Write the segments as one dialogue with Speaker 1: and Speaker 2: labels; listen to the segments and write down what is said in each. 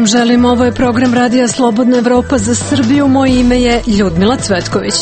Speaker 1: vam želim, ovo je program Radija Slobodna Evropa za Srbiju, moje ime je Ljudmila Cvetković.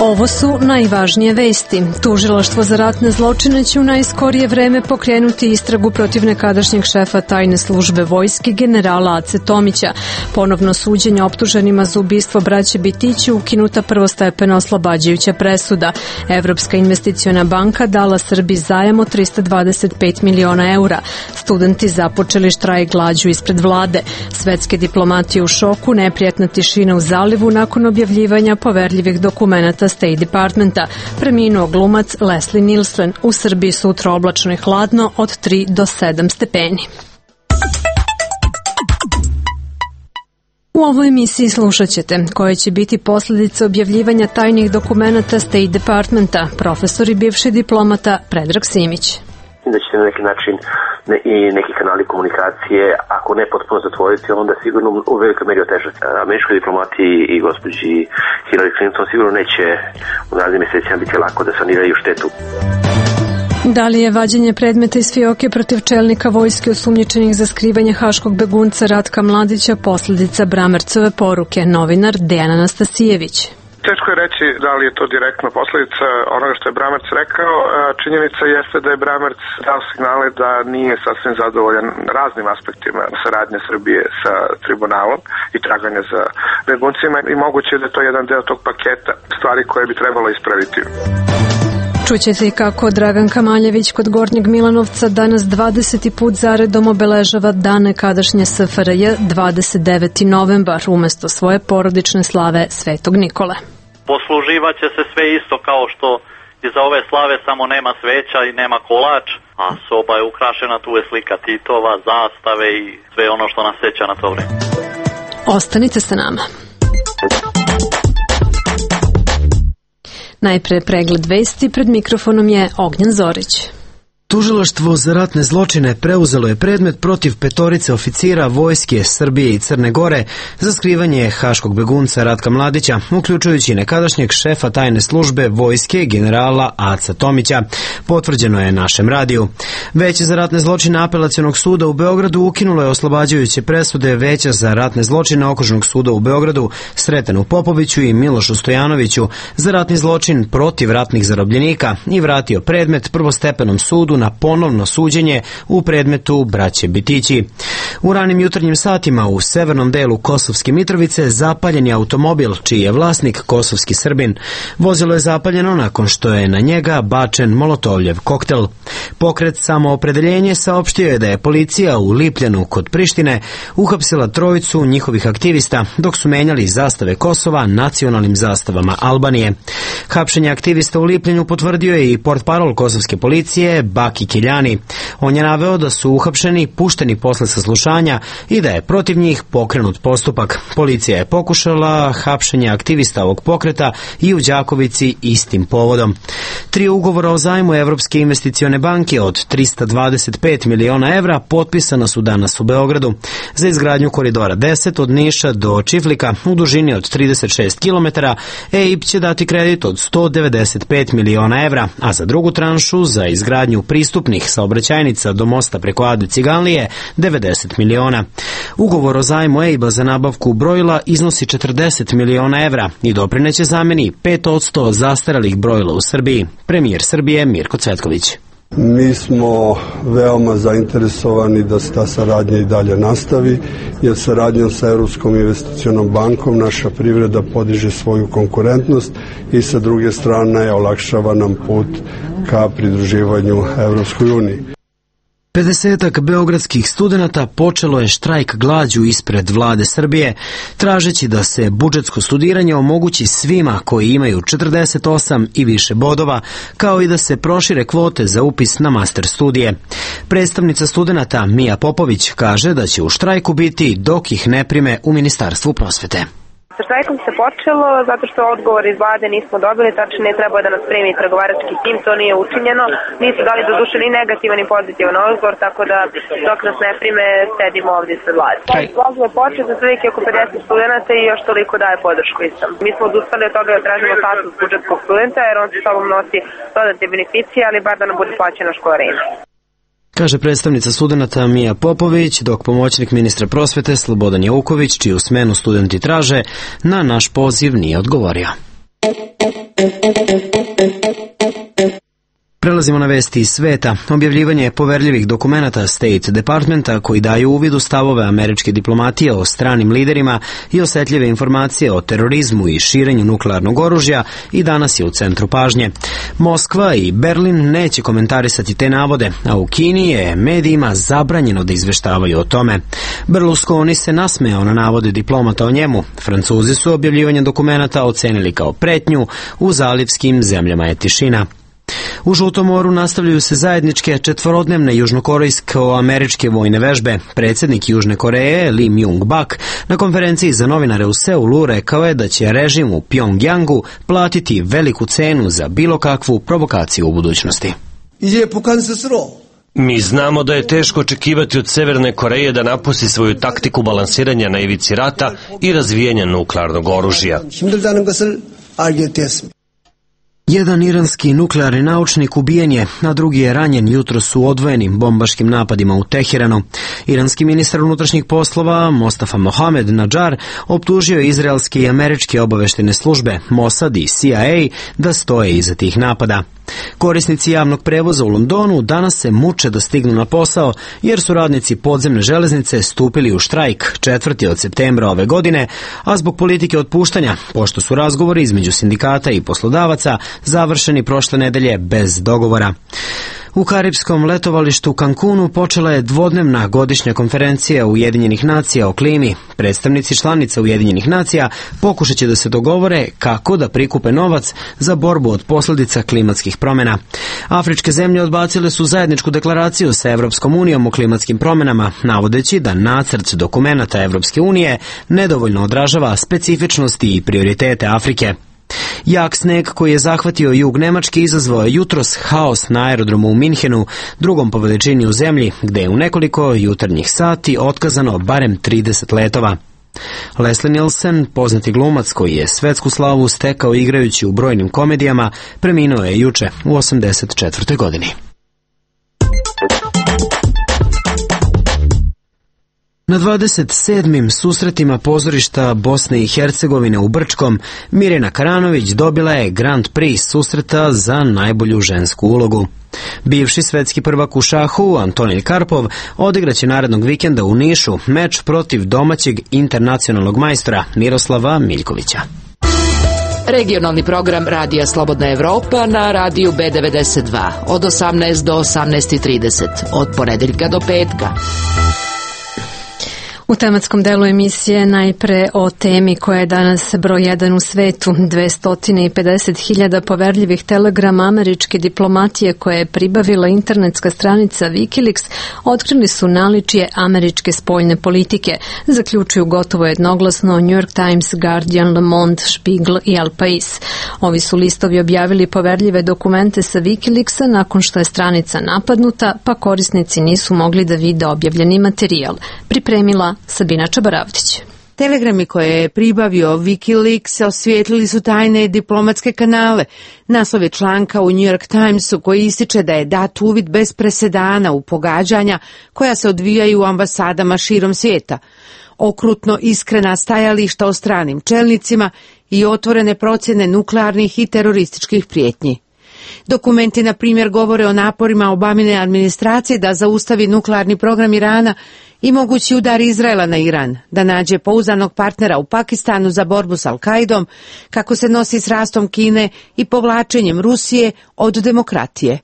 Speaker 1: Ovo su najvažnije vesti. Tužilaštvo za ratne zločine će u najskorije vreme pokrenuti istragu protiv nekadašnjeg šefa tajne službe vojske generala Ace Tomića. Ponovno suđenje optuženima za ubistvo braće Bitići, ukinuta prvostepena oslobađajuća presuda. Evropska investiciona banka dala Srbiji zajam od 325 miliona eura. Studenti započeli štrajk glađu ispred vlade. Svetske diplomatije u šoku, neprijatna tišina u zalivu nakon objavljivanja poverljivih dokumenata State Departmenta. Preminuo glumac Leslie Nielsen. U Srbiji sutra oblačno i hladno od 3 do 7 stepeni. U ovoj emisiji slušat ćete koje će biti posljedice objavljivanja tajnih dokumenata State Departmenta, profesor i bivši diplomata Predrag Simić.
Speaker 2: Da će na neki način i neki kanali komunikacije, ako ne potpuno zatvoriti, onda sigurno u velikoj meri otežati. Američkoj diplomati i gospođi Hillary Clinton sigurno neće u narednim mjesecima biti lako da saniraju štetu.
Speaker 1: Da li je vađenje predmeta iz fioke protiv čelnika vojske osumnjičenih za skrivanje haškog begunca Ratka Mladića posljedica Bramercove poruke? Novinar Dejan Anastasijević.
Speaker 3: Teško je reći da li je to direktna posljedica onoga što je Bramerc rekao. Činjenica jeste da je Bramerc dao signale da nije sasvim zadovoljan raznim aspektima saradnje Srbije sa tribunalom i traganja za beguncima i moguće da je to jedan deo tog paketa stvari koje bi trebalo ispraviti.
Speaker 1: Čućete i kako Dragan Kamaljević kod Gornjeg Milanovca danas 20. put zaredom obeležava dan nekadašnje SFRJ 29. novembar umesto svoje porodične slave Svetog Nikole.
Speaker 4: Posluživaće se sve isto kao što iza ove slave, samo nema sveća i nema kolač, a soba je ukrašena, tu je slika Titova, zastave i sve ono što nas seća na to vreme.
Speaker 1: Ostanite sa nama. Najpre pregled vesti, pred mikrofonom je Ognjen Zorić.
Speaker 5: Tužilaštvo za ratne zločine preuzelo je predmet protiv 5 oficira vojske Srbije i Crne Gore za skrivanje haškog begunca Ratka Mladića, uključujući nekadašnjeg šefa tajne službe vojske generala Aca Tomića, potvrđeno je našem radiju. Veće za ratne zločine Apelacionog suda u Beogradu ukinulo je oslobađajuće presude Veća za ratne zločine Okružnog suda u Beogradu Sretenu Popoviću i Milošu Stojanoviću za ratni zločin protiv ratnih zarobljenika i vratio predmet prvostepenom sudu na ponovno suđenje u predmetu braće Bitići. U ranim jutarnjim satima u severnom delu Kosovske Mitrovice zapaljen je automobil čiji je vlasnik kosovski Srbin. Vozilo je zapaljeno nakon što je na njega bačen molotovljev koktel. Pokret Samoopredeljenje saopštio je da je policija u Lipljanu kod Prištine uhapsila 3 njihovih aktivista dok su menjali zastave Kosova nacionalnim zastavama Albanije. Hapšenje aktivista u Lipljanu potvrdio je i portparol kosovske policije Baki Kiljani. On je naveo da su uhapšeni, pušteni posle saslušanja i da je protiv njih pokrenut postupak. Policija je pokušala hapšenje aktivista ovog pokreta i u Đakovici istim povodom. 3 ugovora o zajmu Evropske investicione banke od 325 miliona evra potpisana su danas u Beogradu za izgradnju koridora 10 od Niša do Čiflika u dužini od 36 km. EIB će dati kredit od 195 miliona evra, a za drugu tranšu za izgradnju pristupnih saobraćajnica do mosta preko Ade Ciganlije 90 miliona. Ugovor o zajmu EIB-a za nabavku brojila iznosi 40 miliona evra i doprineće zameni 5% zastarelih brojila u Srbiji. Premijer Srbije Mirko Cvetković.
Speaker 6: Mi smo veoma zainteresovani da se ta saradnja i dalje nastavi, jer saradnjom sa Evropskom investicionom bankom naša privreda podiže svoju konkurentnost i sa druge strane olakšava nam put ka pridruživanju Evropskoj uniji.
Speaker 5: 50 beogradskih studenata počelo je štrajk glađu ispred vlade Srbije, tražeći da se budžetsko studiranje omogući svima koji imaju 48 i više bodova, kao i da se prošire kvote za upis na master studije. Predstavnica studenata Mija Popović kaže da će u štrajku biti dok ih ne prime u Ministarstvu prosvete.
Speaker 7: Sa štrajkom se počelo zato što odgovor iz vlade nismo dobili, tačnije trebao da nas primi pregovarački tim, to nije učinjeno. Nisu dali do duše ni negativan ni pozitivan odgovor, tako da dok nas ne prime sedimo ovdje sa vlade. Izlazio je počet za otprilike oko 50 studenta i još toliko daje podršku istom. Mi smo odustali od toga da tražimo status budžetskog studenta jer on sa sobom nosi dodatne beneficije, ali bar da nam bude plaćena školarina.
Speaker 5: kaže predstavnica studenata Mija Popović, dok pomoćnik ministra prosvete Slobodan Jauković, čiju smenu studenti traže, na naš poziv nije odgovorio. Prelazimo na vesti iz sveta. Objavljivanje poverljivih dokumenata State Departmenta koji daju uvid u stavove američke diplomatije o stranim liderima i osetljive informacije o terorizmu i širenju nuklearnog oružja i danas je u centru pažnje. Moskva i Berlin neće komentarisati te navode, a u Kini je medijima zabranjeno da izveštavaju o tome. Berlusconi se nasmejao na navode diplomata o njemu. Francuzi su objavljivanje dokumenata ocenili kao pretnju, u zalivskim zemljama je tišina. U Žutom moru nastavljaju se zajedničke četvorodnevne južnokorejsko-američke vojne vežbe. Predsjednik Južne Koreje, Lee Myung-bak, na konferenciji za novinare u Seulu rekao je da će režim u Pjongjangu platiti veliku cenu za bilo kakvu provokaciju u budućnosti.
Speaker 8: Mi znamo da je teško očekivati od Severne Koreje da napusti svoju taktiku balansiranja na ivici rata i razvijanja nuklearnog oružja.
Speaker 5: Jedan iranski nuklearni naučnik ubijen je, a drugi je ranjen jutros u odvojenim bombaškim napadima u Teheranu. Iranski ministar unutrašnjih poslova Mostafa Mohamed Nadžar optužio je izraelske i američke obaveštajne službe Mossad i CIA da stoje iza tih napada. Korisnici javnog prevoza u Londonu danas se muče da stignu na posao jer su radnici podzemne železnice stupili u štrajk 4. od septembra ove godine, a zbog politike otpuštanja, pošto su razgovori između sindikata i poslodavaca završeni prošle nedelje bez dogovora. U karipskom letovalištu Cancunu počela je dvodnevna godišnja konferencija Ujedinjenih nacija o klimi. Predstavnici članica Ujedinjenih nacija pokušat će da se dogovore kako da prikupe novac za borbu od posljedica klimatskih promjena. Afričke zemlje odbacile su zajedničku deklaraciju sa Evropskom unijom o klimatskim promjenama, navodeći da nacrt dokumenata Evropske unije nedovoljno odražava specifičnosti i prioritete Afrike. Jak sneg koji je zahvatio jug Nemačke izazvao je jutros haos na aerodromu u Minhenu, drugom po veličini u zemlji, gde je u nekoliko jutarnjih sati otkazano barem 30 letova. Leslie Nielsen, poznati glumac koji je svetsku slavu stekao igrajući u brojnim komedijama, preminuo je juče u 84. godini. Na 27. susretima pozorišta Bosne i Hercegovine u Brčkom, Mirjana Karanović dobila je Grand Prix susreta za najbolju žensku ulogu. Bivši svetski prvak u šahu, Antonij Karpov, odigraće narednog vikenda u Nišu meč protiv domaćeg internacionalnog majstora Miroslava Miljkovića.
Speaker 9: Regionalni program Radija Slobodna Evropa na radiju B92 od 18 do 18:30, od ponedeljka do petka.
Speaker 1: U tematskom delu emisije najpre o temi koja je danas broj 1 u svetu. 250.000 poverljivih telegrama američke diplomatije koje je pribavila internetska stranica Wikileaks otkrili su naličje američke spoljne politike, zaključuju gotovo jednoglasno New York Times, Guardian, Le Monde, Spiegel i El Pais. Ovi su listovi objavili poverljive dokumente sa Wikileaksa nakon što je stranica napadnuta, pa korisnici nisu mogli da vide objavljeni materijal. Pripremila Sabina Čabaravdić.
Speaker 10: Telegrami koje je pribavio Wikileaks osvijetlili su tajne diplomatske kanale. Naslov je članka u New York Timesu koji ističe da je dat uvid bez presedana u pogađanja koja se odvijaju u ambasadama širom svijeta. Okrutno iskrena stajališta o stranim čelnicima i otvorene procjene nuklearnih i terorističkih prijetnji. Dokumenti, na primjer, govore o naporima Obamine administracije da zaustavi nuklearni program Irana i mogući udar Izraela na Iran, da nađe pouzdanog partnera u Pakistanu za borbu s Al-Kaidom, kako se nosi s rastom Kine i povlačenjem Rusije od demokratije.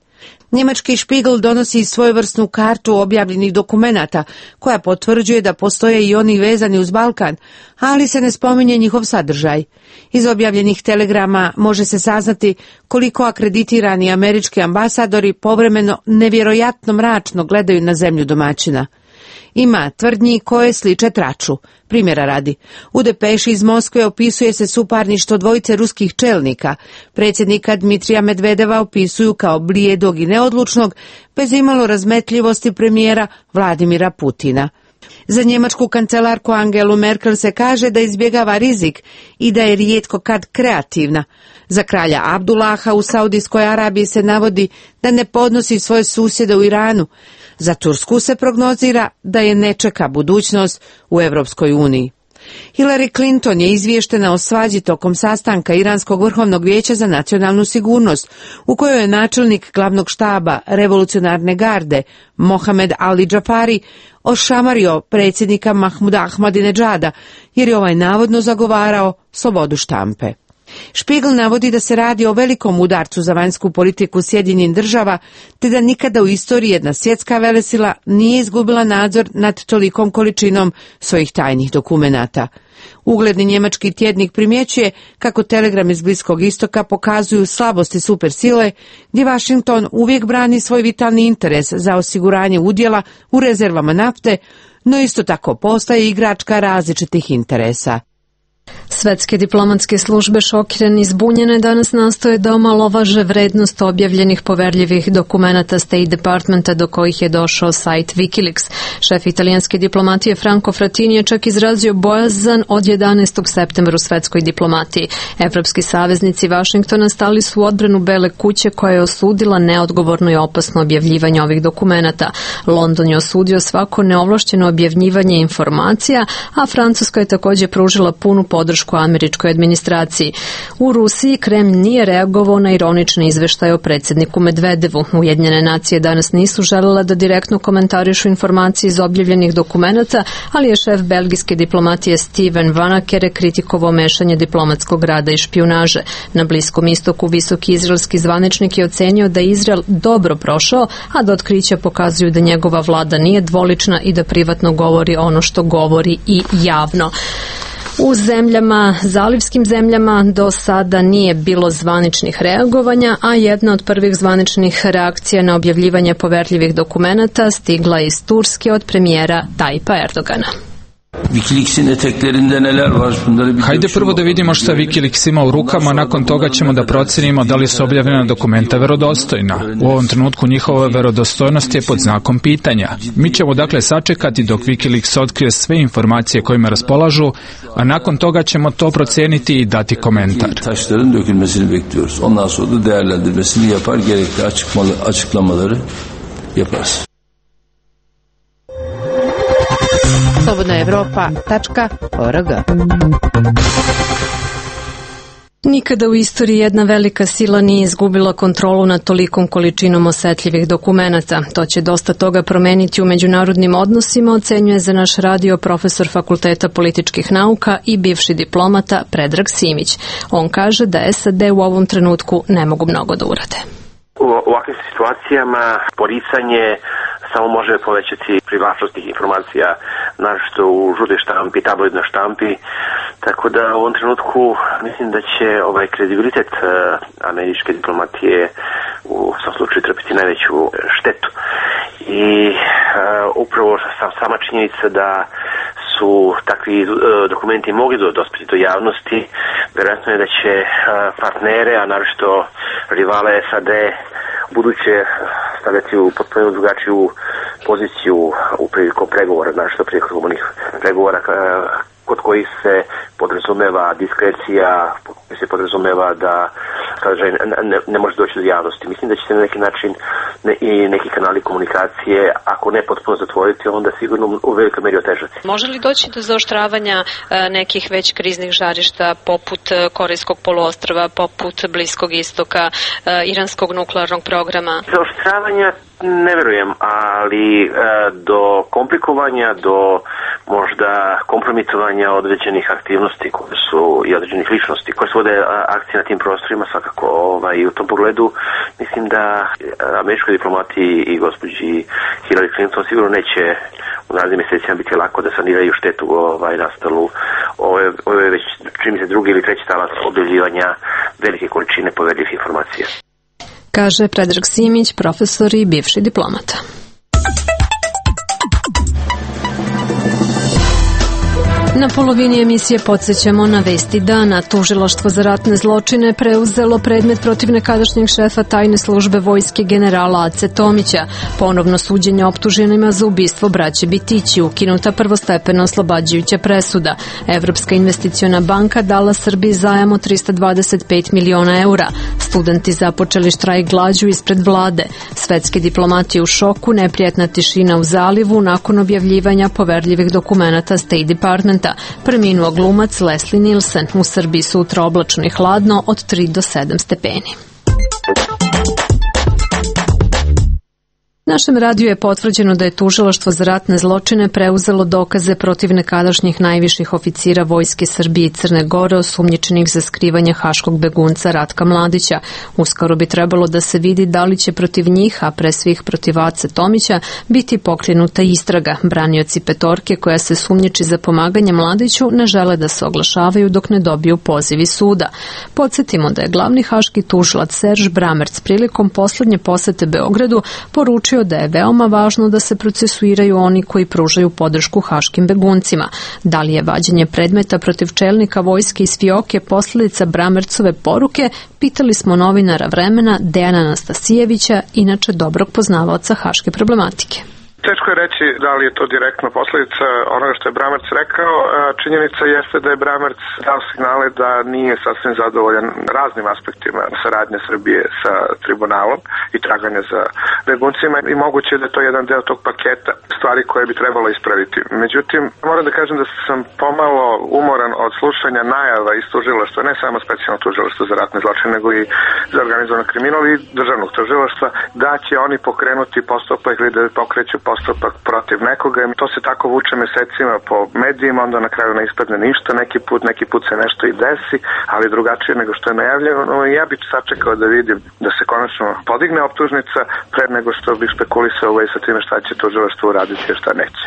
Speaker 10: Njemački Spiegel donosi svojevrsnu kartu objavljenih dokumenata koja potvrđuje da postoje i oni vezani uz Balkan, ali se ne spominje njihov sadržaj. Iz objavljenih telegrama može se saznati koliko akreditirani američki ambasadori povremeno nevjerojatno mračno gledaju na zemlju domaćina. Ima tvrdnji koje sliče traču. Primjera radi, u depeši iz Moskve opisuje se suparništvo dvojice ruskih čelnika. Predsjednika Dmitrija Medvedeva opisuju kao blijedog i neodlučnog, bez imalo razmetljivosti premijera Vladimira Putina. Za njemačku kancelarku Angelu Merkel se kaže da izbjegava rizik i da je rijetko kad kreativna. Za kralja Abdullaha u Saudijskoj Arabiji se navodi da ne podnosi svoje susjede u Iranu. Za Tursku se prognozira da je ne čeka budućnost u Evropskoj uniji. Hillary Clinton je izvještena o svađi tokom sastanka Iranskog vrhovnog vijeća za nacionalnu sigurnost, u kojoj je načelnik glavnog štaba revolucionarne garde Mohamed Ali Džafari ošamario predsjednika Mahmuda Ahmadinedžada, jer je ovaj navodno zagovarao slobodu štampe. Spiegel navodi da se radi o velikom udarcu za vanjsku politiku Sjedinjenih Država, te da nikada u istoriji jedna svjetska velesila nije izgubila nadzor nad tolikom količinom svojih tajnih dokumenata. Ugledni njemački tjednik primjećuje kako telegram iz Bliskog istoka pokazuju slabosti supersile, gdje Washington uvijek brani svoj vitalni interes za osiguranje udjela u rezervama nafte, no isto tako postaje igračka različitih interesa.
Speaker 1: Svetske diplomatske službe šokirane i zbunjene danas nastoje da omalovaže vrednost objavljenih poverljivih dokumenata State Departmenta do kojih je došao sajt Wikileaks. Šef italijanske diplomatije Franco Frattini je čak izrazio bojazan od 11. septembra u svetskoj diplomatiji. Evropski saveznici Vašingtona stali su u odbranu Bele kuće koja je osudila neodgovorno i opasno objavljivanje ovih dokumenata. London je osudio svako neovlašćeno objavljivanje informacija, a Francuska je također pružila punu podršku američkoj administraciji. U Rusiji Kremlj nije reagovao na ironični izveštaj o predsjedniku Medvedevu. Ujedinjene nacije danas nisu želela da direktno komentarišu informacije iz objavljenih dokumenata, ali je šef belgijske diplomatije Steven Vanakere kritikovao mešanje diplomatskog rada i špijunaže. Na Bliskom istoku visoki izraelski zvaničnik je ocenio da je Izrael dobro prošao, a da otkrića pokazuju da njegova vlada nije dvolična i da privatno govori ono što govori i javno. U zalivskim zemljama do sada nije bilo zvaničnih reagovanja, a jedna od prvih zvaničnih reakcija na objavljivanje poverljivih dokumenata stigla iz Turske od premijera Tajpa Erdogana.
Speaker 11: Wikileaks'in eteklerinde neler var? Hajde prvo da vidimo šta Wikileaks ima u rukama, nakon toga ćemo da procenimo da li su objavljena dokumenta verodostojna. U ovom trenutku njihova verodostojnost je pod znakom pitanja. Mi ćemo dakle sačekati dok Wikileaks otkrije sve informacije kojima raspolažu, a nakon toga ćemo to proceniti i dati komentar.
Speaker 12: Taşların dökülmesini bekliyoruz. Ondan sonra da değerlendirmesini yapar, gerekli açıklamaları yaparız.
Speaker 10: slobodnaevropa.org.
Speaker 1: Nikada u istoriji jedna velika sila nije izgubila kontrolu nad tolikom količinom osetljivih dokumenata. To će dosta toga promeniti u međunarodnim odnosima, ocenjuje za naš radio profesor Fakulteta političkih nauka i bivši diplomata Predrag Simić. On kaže da SAD u ovom trenutku ne mogu mnogo da urade.
Speaker 2: U ovakvim situacijama poricanje samo može povećati privlačnost tih informacija, naročito u žutoj štampi, tabloidnoj štampi, tako da u ovom trenutku mislim da će kredibilitet američke diplomatije u svom slučaju trpiti najveću štetu. I upravo sama činjenica da su takvi dokumenti mogli dospjeti do javnosti, vjerojatno je da će partnere, a naročito rivale SAD buduće stavljati u potpuno drugačiju poziciju u prilikom pregovora, naročito prilikom onih pregovora kod kojih se podrazumeva diskrecija, se podrazumeva da sadržaj ne može doći do javnosti. Mislim da će se na neki način i neki kanali komunikacije, ako ne potpuno zatvoriti, onda sigurno u velikoj meri otežati.
Speaker 1: Može li doći do zaoštravanja nekih već kriznih žarišta poput Korejskog poluostrva, poput Bliskog istoka, iranskog nuklearnog programa?
Speaker 2: Zaoštravanja ne verujem, ali do komplikovanja, do možda kompromitovanja određenih aktivnosti koje su i određenih ličnosti koje svode akcije na tim prostorima, svakako i u tom pogledu mislim da američkoj diplomatiji i gospođi Hillary Clinton sigurno neće u narednim mjesecima biti lako da saniraju štetu nastalu. Ovo je već čini mi se drugi ili treći talac objavljivanja velike količine poverljivih informacija.
Speaker 1: Kaže Predrag Simić, profesor i bivši diplomata. Na polovini emisije podsjećamo na vesti dana. Tužilaštvo za ratne zločine preuzelo predmet protiv nekadašnjeg šefa tajne službe vojske generala Ace Tomića. Ponovno suđenje optuženima za ubistvo braće Bitići, ukinuta prvostepena oslobađajuća presuda. Evropska investiciona banka dala Srbiji zajam od 325 miliona eura. Studenti započeli štrajk glađu ispred vlade. Svetski diplomati u šoku, neprijatna tišina u zalivu nakon objavljivanja poverljivih dokumenata State Departmenta. Preminuo glumac Leslie Nielsen. U Srbiji sutra oblačno i hladno od 3 do 7 stepeni. Našem radiju je potvrđeno da je Tužilaštvo za ratne zločine preuzelo dokaze protiv nekadašnjih najviših oficira Vojske Srbije i Crne Gore osumnjičenih za skrivanje haškog begunca Ratka Mladića. Uskoro bi trebalo da se vidi da li će protiv njih, a pre svih protiv Ace Tomića, biti pokrenuta istraga. Branioci petorke koja se sumnjiči za pomaganje Mladiću ne žele da se oglašavaju dok ne dobiju poziv iz suda. Podsjetimo da je glavni haški tužilac Serž Bramerc prilikom poslednje posete Beogradu poručio da je veoma važno da se procesuiraju oni koji pružaju podršku haškim beguncima. Da li je vađenje predmeta protiv čelnika vojske iz Fioke posljedica Bramercove poruke, pitali smo novinara Vremena Dejana Anastasijevića, inače dobrog poznavaoca haške problematike.
Speaker 3: Teško je reći da li je to direktno posljedica onoga što je Bramerc rekao. Činjenica jeste da je Bramerc dao signale da nije sasvim zadovoljan raznim aspektima saradnje Srbije sa tribunalom i traganja za beguncima i moguće je da je to jedan deo tog paketa stvari koje bi trebalo ispraviti. Međutim, moram da kažem da sam pomalo umoran od slušanja najava iz tužilaštva, ne samo specijalno tužilaštvo za ratne zločine, nego i za organizovan kriminal i državnog tužilaštva, da će oni pokrenuti postupak ili da pokreću postupak protiv nekoga. To se tako vuče mesecima po medijima, onda na kraju ne ispadne ništa, neki put se nešto i desi, ali drugačije nego što je najavljeno. Ja bih sačekao da vidim da se konačno podigne optužnica pre nego što bih spekulisao sa time šta će tužilaštvo uraditi i šta neće.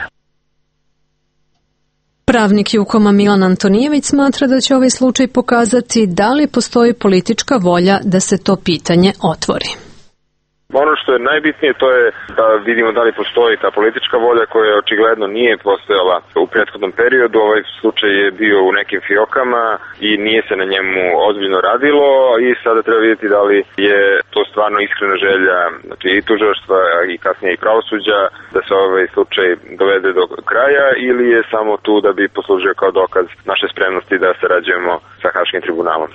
Speaker 1: Pravnik Jukoma Milan Antonijević smatra da će ovaj slučaj pokazati da li postoji politička volja da se to pitanje otvori.
Speaker 13: Ono što je najbitnije to je da vidimo da li postoji ta politička volja koja očigledno nije postojala u prethodnom periodu. Ovaj slučaj je bio u nekim fiokama i nije se na njemu ozbiljno radilo i sada treba vidjeti da li je to stvarno iskrena želja i tužilaštva i kasnije i pravosuđa da se ovaj slučaj dovede do kraja ili je samo tu da bi poslužio kao dokaz naše spremnosti da sarađujemo sa Haškim tribunalom.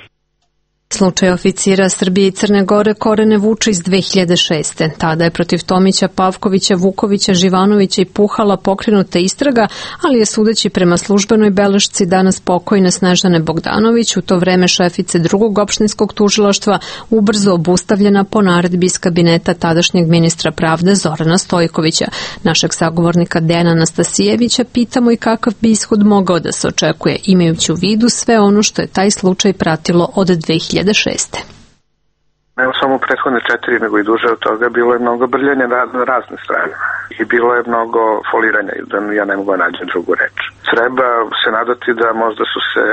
Speaker 1: Slučaj oficira Srbije i Crne Gore korene vuče iz 2006. Tada je protiv Tomića, Pavkovića, Vukovića, Živanovića i Puhala pokrenuta istraga, ali je sudeći prema službenoj belešci danas pokojne Snežane Bogdanović, u to vreme šefice drugog opštinskog tužilaštva, ubrzo obustavljena po naredbi iz kabineta tadašnjeg ministra pravde Zorana Stojkovića. Našeg sagovornika Dejana Anastasijevića pitamo i kakav bi ishod mogao da se očekuje, imajući u vidu sve ono što je taj slučaj pratilo od 2006.
Speaker 3: Ne samo u prethodne 4, nego i duže od toga, bilo je mnogo brljanja na razne strane i bilo je mnogo foliranja, da ja ne mogu naći drugu reč. Treba se nadati da možda su se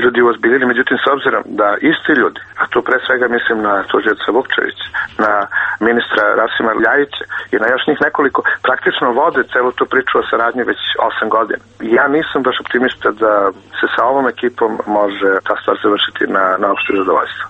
Speaker 3: ljudi uozbiljili, međutim s obzirom da isti ljudi, a tu pre svega mislim na tužioca Vukčevića, na ministra Rasima Ljajića i na još njih nekoliko, praktično vode celu tu priču o saradnji već 8 godina. Ja nisam baš optimista da se sa ovom ekipom može ta stvar završiti na opšte zadovoljstvo.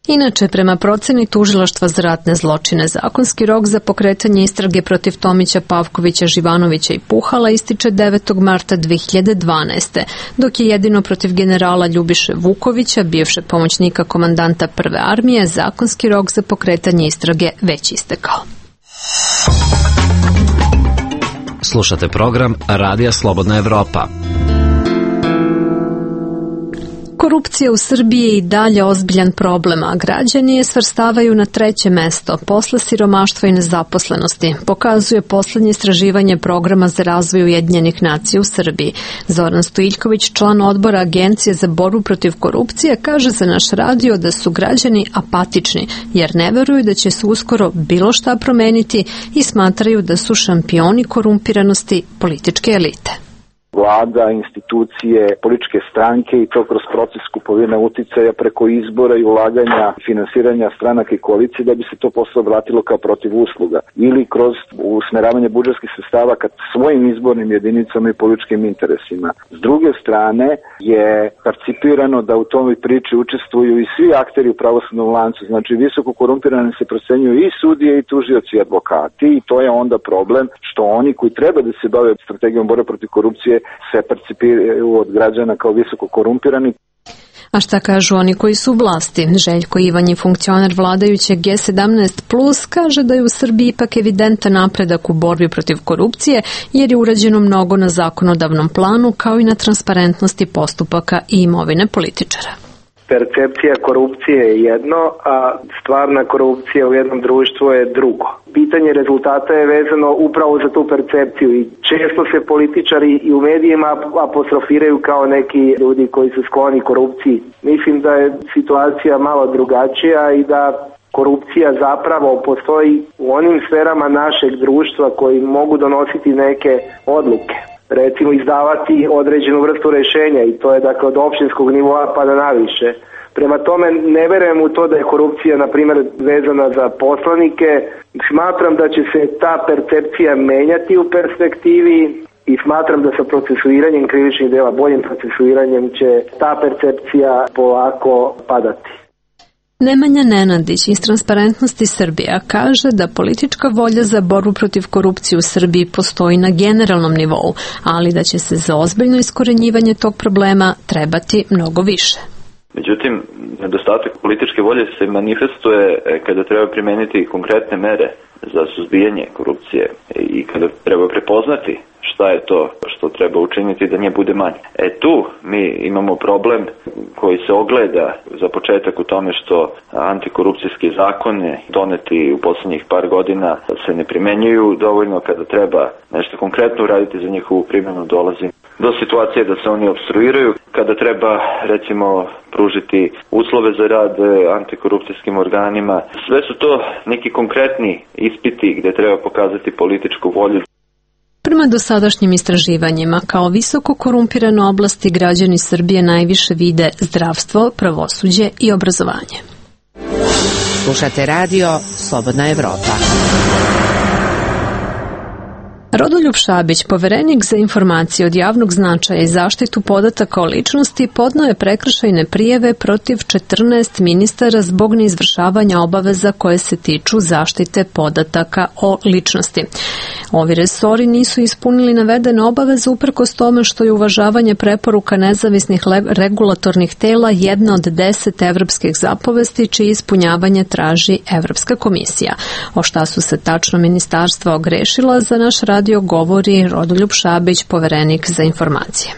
Speaker 1: Inače, prema proceni Tužilaštva za ratne zločine, zakonski rok za pokretanje istrage protiv Tomića, Pavkovića, Živanovića i Puhala ističe 9. marta 2012. dok je jedino protiv generala Ljubiše Vukovića, bivšeg pomoćnika komandanta Prve armije, zakonski rok za pokretanje istrage već istekao.
Speaker 14: Slušate program Radija Slobodna Evropa.
Speaker 1: Korupcija u Srbiji je i dalje ozbiljan problem, a građani je svrstavaju na 3. mesto posle siromaštva i nezaposlenosti, pokazuje poslednje istraživanje Programa za razvoj Ujedinjenih nacija u Srbiji. Zoran Stojiljković, član odbora Agencije za borbu protiv korupcije, kaže za naš radio da su građani apatični, jer ne veruju da će se uskoro bilo šta promeniti i smatraju da su šampioni korumpiranosti političke elite.
Speaker 15: vlada, institucije, političke stranke i to kroz proces kupovine uticaja preko izbora i ulaganja finansiranja stranaka i koalicije da bi se to posle obratilo kao protiv usluga ili kroz usmeravanje budžetskih sredstava ka svojim izbornim jedinicama i političkim interesima. S druge strane je participirano da u toj priči učestvuju i svi akteri u pravosudnom lancu, znači visoko korumpirani se procenjuju i sudije i tužioci i advokati i to je onda problem što oni koji treba da se bave strategijom borbe protiv korupcije se percipiraju od građana kao visoko korumpirani.
Speaker 1: A šta kažu oni koji su u vlasti? Željko Ivanji, funkcioner vladajuće G17+, kaže da je u Srbiji ipak evidentan napredak u borbi protiv korupcije jer je urađeno mnogo na zakonodavnom planu kao i na transparentnosti postupaka i imovine političara.
Speaker 16: Percepcija korupcije je jedno, a stvarna korupcija u jednom društvu je drugo. Pitanje rezultata je vezano upravo za tu percepciju i često se političari i u medijima apostrofiraju kao neki ljudi koji su skloni korupciji. Mislim da je situacija malo drugačija i da korupcija zapravo postoji u onim sferama našeg društva koji mogu donositi neke odluke. Recimo izdavati određenu vrstu rješenja i to je dakle od općinskog nivoa pa da naviše. Prema tome ne verujem u to da je korupcija na primjer vezana za poslanike. Smatram da će se ta percepcija menjati u perspektivi i smatram da sa procesuiranjem krivičnih dela, boljim procesuiranjem će ta percepcija polako padati.
Speaker 1: Nemanja Nenadić iz Transparentnosti Srbija kaže da politička volja za borbu protiv korupcije u Srbiji postoji na generalnom nivou, ali da će se za ozbiljno iskorenjivanje tog problema trebati mnogo više.
Speaker 17: Međutim, nedostatak političke volje se manifestuje kada treba primeniti konkretne mere za suzbijanje korupcije i kada treba prepoznati šta je to što treba učiniti da nje bude manje. Tu mi imamo problem koji se ogleda za početak u tome što antikorupcijski zakone doneti u posljednjih par godina se ne primenjuju dovoljno. Kada treba nešto konkretno uraditi za njihovu primjenu dolazi do situacije da se oni opstruiraju. Kada treba recimo pružiti uslove za rad antikorupcijskim organima, sve su to neki konkretni ispiti gdje treba pokazati političku volju.
Speaker 1: Prema dosadašnjim istraživanjima, kao visoko korumpirane oblasti građani Srbije najviše vide zdravstvo, pravosuđe i obrazovanje.
Speaker 10: Slušate radio Slobodna Evropa.
Speaker 1: Rodoljub Šabić, poverenik za informacije od javnog značaja i zaštitu podataka o ličnosti, podneo je prekršajne prijave protiv 14 ministara zbog neizvršavanja obaveza koje se tiču zaštite podataka o ličnosti. Ovi resori nisu ispunili navedene obaveze uprkos tome što je uvažavanje preporuka nezavisnih regulatornih tela jedna od 10 evropskih zapovesti čije ispunjavanje traži Evropska komisija. O šta su se tačno ministarstva ogrešila, za naš radio govori Rodoljub Šabić, poverenik za informacije.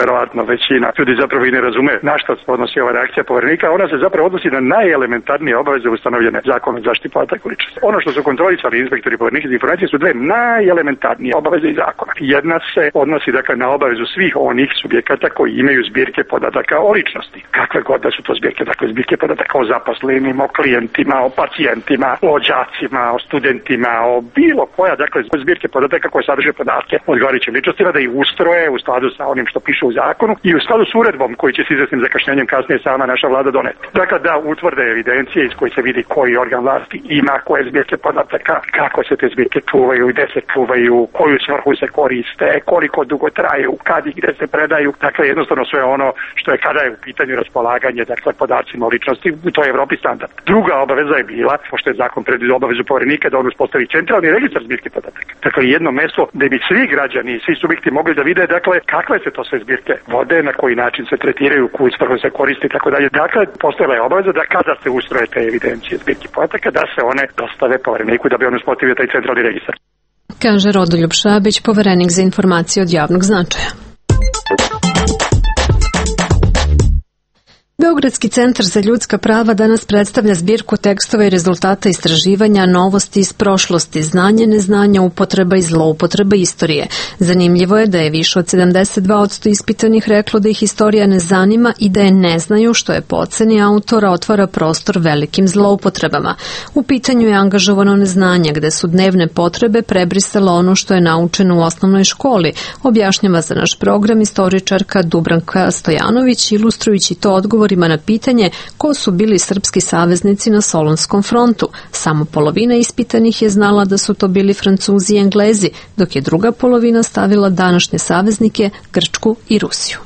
Speaker 18: Verovatno većina ljudi zapravo i ne razume na što se odnosi ova reakcija poverenika. Ona se zapravo odnosi na najelementarnije obaveze ustanovljene zakonom o zaštiti podataka o ličnosti. Ono što su kontrolisali inspektori poverenika za informacije su dve najelementarnije obaveze iz zakona. Jedna se odnosi dakle na obavezu svih onih subjekata koji imaju zbirke podataka o ličnosti. Kakve god da su to zbirke, dakle zbirke podataka o zaposlenima, o klijentima, o pacijentima, o đacima, o studentima, o bilo koja dakle zbirke podataka koje sadrže podatke o odgovarajućim ličnostima, da ih ustroje u skladu sa onim što piše u zakonu i u skladu s uredbom koji će se izvesnim zakašnjenjem kasnije sama naša vlada doneti. Dakle, da utvrde evidencije iz koje se vidi koji organ vlasti ima, koje zbirke podataka, kako se te zbirke čuvaju, gde se čuvaju, koju svrhu se koriste, koliko dugo traju, kad i gde se predaju. Dakle, jednostavno sve ono što je kada je u pitanju raspolaganje, dakle, podacima o ličnosti, to je Evropi standard. Druga obaveza je bila, pošto je zakon predvidio obavezu poverenika da on uspostavi centralni registar zbirke podataka. Dakle, jedno mesto gde bi svi građani i svi subjekti mogli da vide, dakle, kakve se to sve zbirke vode, na koji način se tretiraju, koju svrhu se koristi i tako dalje. Dakle, postojala je obaveza da kada se ustroje te evidencije zbirki podataka, da se one dostave povereniku da bi on uspostavio taj centralni registar.
Speaker 1: Kaže Rodoljub Šabić, poverenik za informacije od javnog značaja. Beogradski centar za ljudska prava danas predstavlja zbirku tekstova i rezultata istraživanja novosti iz prošlosti, znanje, neznanja, upotreba i zloupotreba istorije. Zanimljivo je da je više od 72% ispitanih reklo da ih istorija ne zanima i da je ne znaju, što je po oceni autora otvara prostor velikim zloupotrebama. U pitanju je angažovano neznanje, gde su dnevne potrebe prebrisalo ono što je naučeno u osnovnoj školi, objašnjava za naš program istoričarka Dubranka Stojanović, ilustrujući to odgovorima na pitanje ko su bili srpski saveznici na Solunskom frontu. Samo polovina ispitanih je znala da su to bili Francuzi i Englezi, dok je druga polovina stavila današnje saveznike Grčku i Rusiju.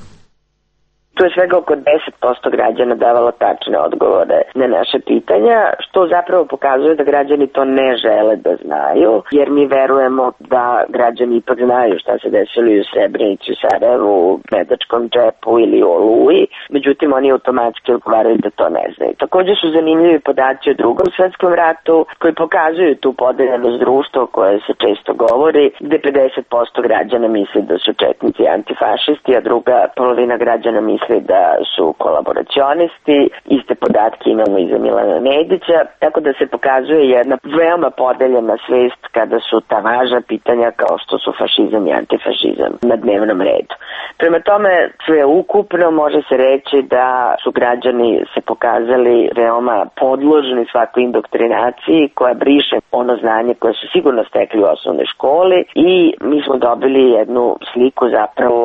Speaker 19: Tu je svega oko 10% građana davalo tačne odgovore na naše pitanja, što zapravo pokazuje da građani to ne žele da znaju, jer mi verujemo da građani ipak znaju šta se desilo u Srebrenici, u Sarajevu, u Medačkom džepu ili u Oluji, međutim oni automatski odgovaraju da to ne znaju. Također su zanimljivi podaci o Drugom svetskom ratu koji pokazuju tu podeljenost društva o kojoj se često govori, gde 50% građana misli da su četnici antifašisti, a druga polovina građana misli da su kolaboracionisti. Iste podatke imamo i za Milana Nedića, tako da se pokazuje jedna veoma podeljena svest kada su ta važna pitanja kao što su fašizam i antifašizam na dnevnom redu. Prema tome, sve ukupno može se reći da su građani se pokazali veoma podložni svakoj indoktrinaciji koja briše ono znanje koje su sigurno stekli u osnovnoj školi i mi smo dobili jednu sliku zapravo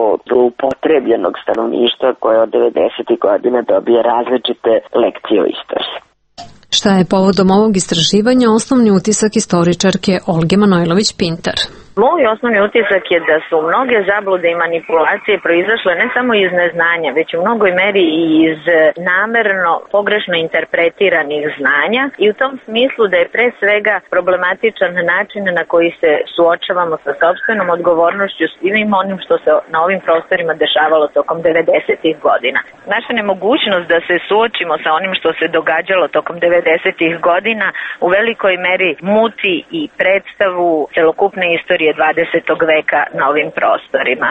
Speaker 19: upotrebljenog stanovništva koje od 90. godina dobije različite lekcije o istoriji.
Speaker 1: Šta je povodom ovog istraživanja osnovni utisak istoričarke Olge Manojlović-Pintar?
Speaker 20: Moj osnovni utisak je da su mnoge zablude i manipulacije proizašle ne samo iz neznanja, već u mnogoj meri i iz namerno pogrešno interpretiranih znanja i u tom smislu da je pre svega problematičan način na koji se suočavamo sa sopstvenom odgovornošću svim onim što se na ovim prostorima dešavalo tokom 90-ih godina. Naša nemogućnost da se suočimo sa onim što se događalo tokom 90-ih godina u velikoj meri muti i predstavu celokupne istorije 20. veka na ovim prostorima.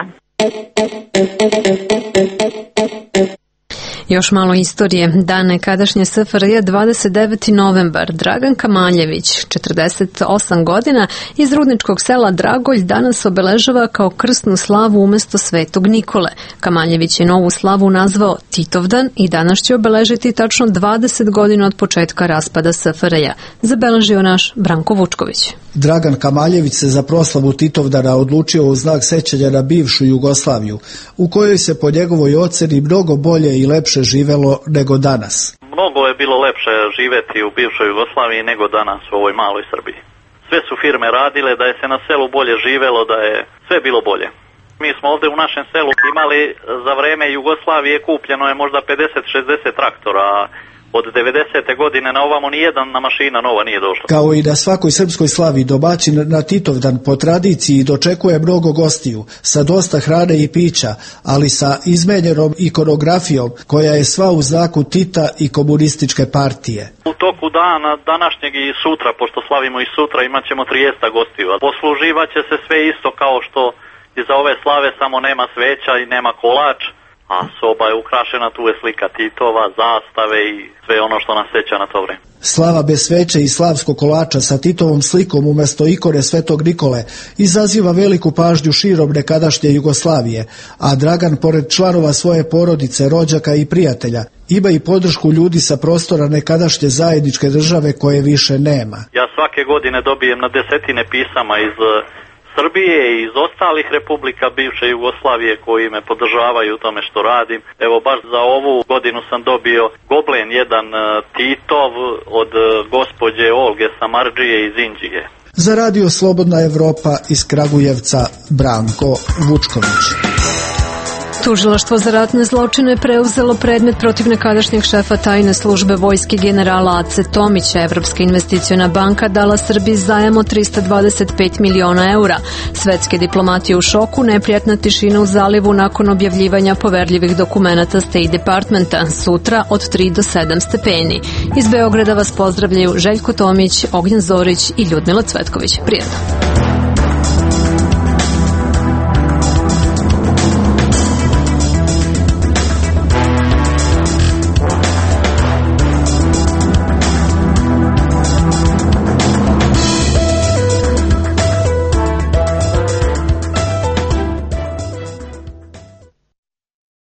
Speaker 1: Još malo istorije. Dan nekadašnje SFRJ 29. novembar. Dragan Kamaljević, 48 godina, iz rudničkog sela Dragolj danas obeležava kao krsnu slavu umesto Svetog Nikole. Kamaljević je novu slavu nazvao Titovdan i danas će obeležiti tačno 20 godina od početka raspada SFRJ. Zabeležio naš Branko Vučković.
Speaker 21: Dragan Kamaljević se za proslavu Titovdana odlučio u znak sećanja na bivšu Jugoslaviju, u kojoj se po njegovoj oceni mnogo bolje i lepše živelo nego danas.
Speaker 4: Mnogo je bilo lepše živeti u bivšoj Jugoslaviji nego danas u ovoj maloj Srbiji. Sve su firme radile da je se na selu bolje živelo, da je sve bilo bolje. Mi smo ovdje u našem selu imali za vreme Jugoslavije kupljeno je možda 50-60 traktora, od 90. godine na ovamo nijedan mašina nova nije došla.
Speaker 21: Kao i na svakoj srpskoj slavi, domaćin na Titovdan po tradiciji dočekuje mnogo gostiju, sa dosta hrane i pića, ali sa izmenjenom ikonografijom koja je sva u znaku Tita i komunističke partije.
Speaker 4: U toku dana današnjeg i sutra, pošto slavimo i sutra, imat ćemo 30 gostiju. Posluživat će se sve isto kao što iza ove slave, samo nema sveća i nema kolač. A soba je ukrašena, tu je slika Titova, zastave i sve ono što nas seća na to vreme.
Speaker 21: Slava bez sveće i slavskog kolača sa Titovom slikom umjesto ikone Svetog Nikole izaziva veliku pažnju širom nekadašnje Jugoslavije, a Dragan, pored članova svoje porodice, rođaka i prijatelja, ima i podršku ljudi sa prostora nekadašnje zajedničke države koje više nema.
Speaker 4: Ja svake godine dobijem na desetine pisama iz Srbije i iz ostalih republika bivše Jugoslavije koji me podržavaju u tome što radim. Evo baš za ovu godinu sam dobio goblen jedan Titov od gospođe Olge Samardžije iz Inđije.
Speaker 21: Za Radio Slobodna Evropa iz Kragujevca, Branko Vučković.
Speaker 1: Tužilaštvo za ratne zločine preuzelo predmet protiv nekadašnjeg šefa tajne službe vojske generala Ace Tomića. Evropska investiciona banka dala Srbiji zajam od 325 miliona eura. Svetske diplomatije u šoku, neprijatna tišina u zalivu nakon objavljivanja poverljivih dokumenata State Departmenta. Sutra od 3 do 7 stepeni. Iz Beograda vas pozdravljaju Željko Tomić, Ognjen Zorić i Ljudmila Cvetković. Prijetno.